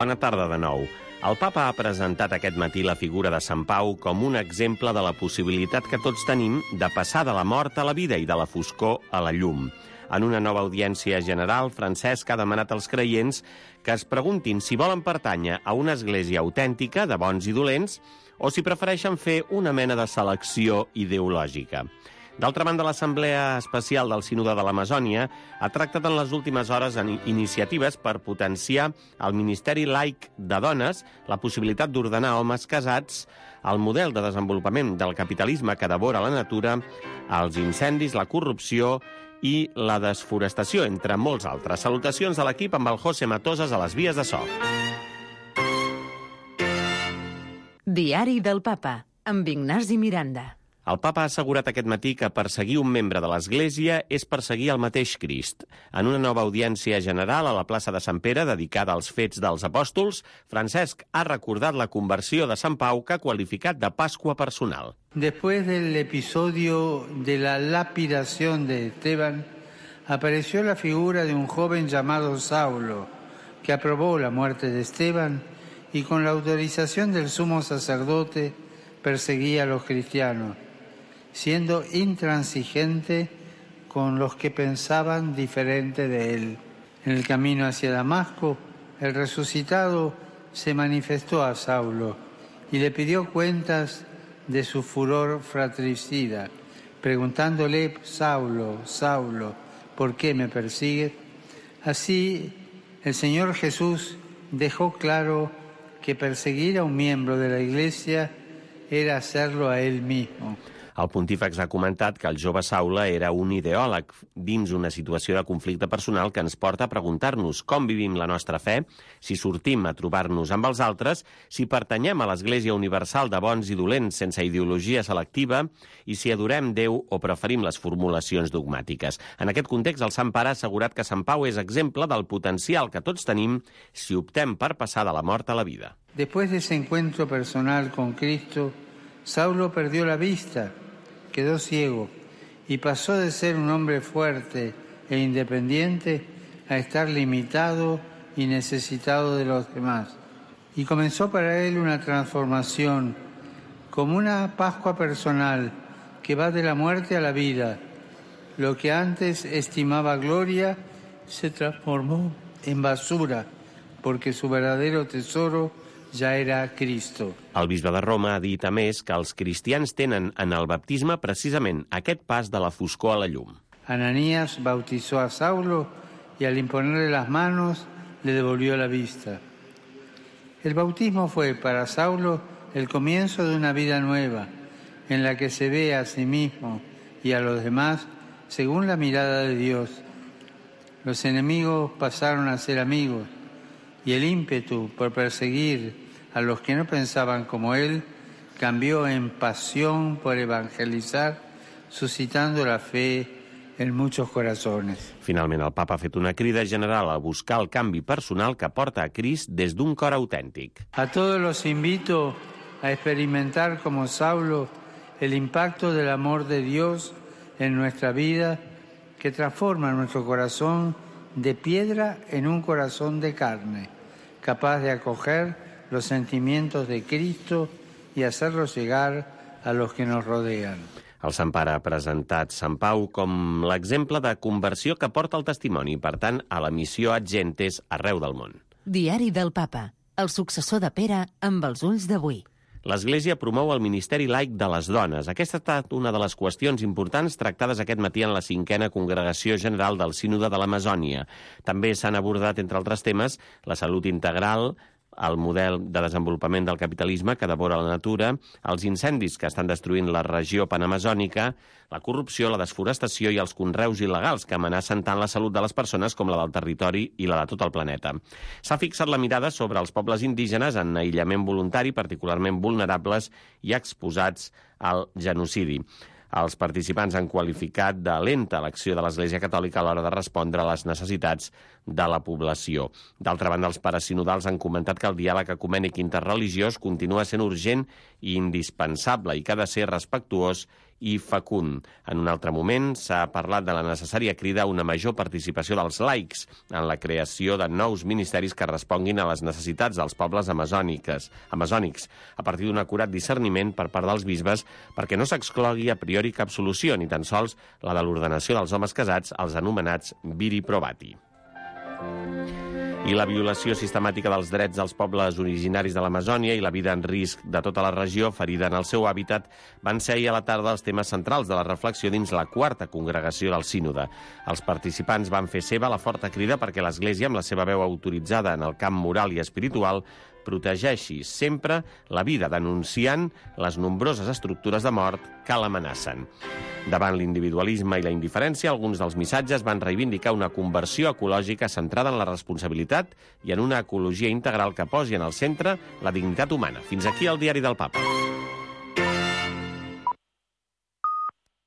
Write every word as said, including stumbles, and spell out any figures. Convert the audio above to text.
Bona tarda de nou. El papa ha presentat aquest matí la figura de Sant Pau com un exemple de la possibilitat que tots tenim de passar de la mort a la vida i de la foscor a la llum. En una nova audiència general, Francesc ha demanat als creients que es preguntin si volen pertànyer a una església autèntica de bons i dolents o si prefereixen fer una mena de selecció ideològica. D'altra banda, l'Assemblea Especial del Sínode de l'Amazònia ha tractat en les últimes hores en iniciatives per potenciar el Ministeri Laic de Dones, la possibilitat d'ordenar homes casats, el model de desenvolupament del capitalisme que devora la natura, els incendis, la corrupció i la desforestació, entre molts altres. Salutacions de l'equip amb el José Matosas a les vies de so. Diari del Papa, amb Ignasi Miranda. El papa ha assegurat aquest matí que perseguir un membre de l'Església és perseguir el mateix Crist. En una nova audiència general a la plaça de Sant Pere, dedicada als fets dels apòstols, Francesc ha recordat la conversió de Sant Pau, que ha qualificat de Pascua personal. Después del episodio de la lapidación de Esteban, apareció la figura de un joven llamado Saulo, que aprobó la muerte de Esteban y con la autorización del sumo sacerdote perseguía a los cristianos, siendo intransigente con los que pensaban diferente de él. En el camino hacia Damasco, el resucitado se manifestó a Saulo y le pidió cuentas de su furor fratricida, preguntándole: Saulo, Saulo, ¿por qué me persigues? Así, el Señor Jesús dejó claro que perseguir a un miembro de la Iglesia era hacerlo a él mismo. El pontífex ha comentat que el jove Saulo era un ideòleg dins una situació de conflicte personal que ens porta a preguntar-nos com vivim la nostra fe, si sortim a trobar-nos amb els altres, si pertanyem a l'Església Universal de bons i dolents sense ideologia selectiva i si adorem Déu o preferim les formulacions dogmàtiques. En aquest context, el Sant Pare ha assegurat que Sant Pau és exemple del potencial que tots tenim si optem per passar de la mort a la vida. Después de ese encuentro personal con Cristo, Saulo perdió la vista, quedó ciego y pasó de ser un hombre fuerte e independiente a estar limitado y necesitado de los demás. Y comenzó para él una transformación, como una Pascua personal que va de la muerte a la vida. Lo que antes estimaba gloria se transformó en basura, porque su verdadero tesoro ja era Cristo. El bisbe de Roma ha dit, a més, que els cristians tenen en el baptisme precisament aquest pas de la foscor a la llum. Ananías bautizó a Saulo y al imponerle las manos le devolvió la vista. El bautismo fue para Saulo el comienzo de una vida nueva, en la que se ve a sí mismo y a los demás según la mirada de Dios. Los enemigos pasaron a ser amigos, y el ímpetu por perseguir a los que no pensaban como él cambió en pasión por evangelizar, suscitando la fe en muchos corazones. Finalment, el papa ha fet una crida general a buscar el canvi personal que porta a Crist des d'un cor autèntic. A todos los invito a experimentar como Saulo el impacto del amor de Dios en nuestra vida, que transforma nuestro corazón de piedra en un corazón de carne, capaz de acoger los sentimientos de Cristo y hacerlos llegar a los que nos rodean. El Sant Pare ha presentat Sant Pau com l'exemple de conversió que porta el testimoni, per tant, a la missió ad gentes arreu del món. Diari del Papa, el successor de Pere amb els ulls d'avui. L'Església promou el Ministeri Laic de les Dones. Aquesta ha estat una de les qüestions importants tractades aquest matí en la cinquena Congregació General del Sínode de l'Amazònia. També s'han abordat, entre altres temes, la salut integral, el model de desenvolupament del capitalisme que devora la natura, els incendis que estan destruint la regió panamazònica, la corrupció, la desforestació i els conreus il·legals que amenacen tant la salut de les persones com la del territori i la de tot el planeta. S'ha fixat la mirada sobre els pobles indígenes en aïllament voluntari, particularment vulnerables i exposats al genocidi. Els participants han qualificat de lenta l'acció de l'Església Catòlica a l'hora de respondre a les necessitats de la població. D'altra banda, els pares sinodals han comentat que el diàleg ecumènic interreligiós continua sent urgent i indispensable i que ha de ser respectuós i fecund. En un altre moment s'ha parlat de la necessària crida a una major participació dels laics en la creació de nous ministeris que responguin a les necessitats dels pobles amazòniques, amazònics, a partir d'un acurat discerniment per part dels bisbes perquè no s'exclogui a priori cap solució, ni tan sols la de l'ordenació dels homes casats, els anomenats viri probati. I la violació sistemàtica dels drets dels pobles originaris de l'Amazònia i la vida en risc de tota la regió ferida en el seu hàbitat van ser ahir a la tarda els temes centrals de la reflexió dins la quarta congregació del sínode. Els participants van fer seva la forta crida perquè l'Església, amb la seva veu autoritzada en el camp moral i espiritual, protegeixi sempre la vida, denunciant les nombroses estructures de mort que l'amenacen. Davant l'individualisme i la indiferència, alguns dels missatges van reivindicar una conversió ecològica centrada en la responsabilitat i en una ecologia integral que posi en el centre la dignitat humana. Fins aquí el Diari del Papa.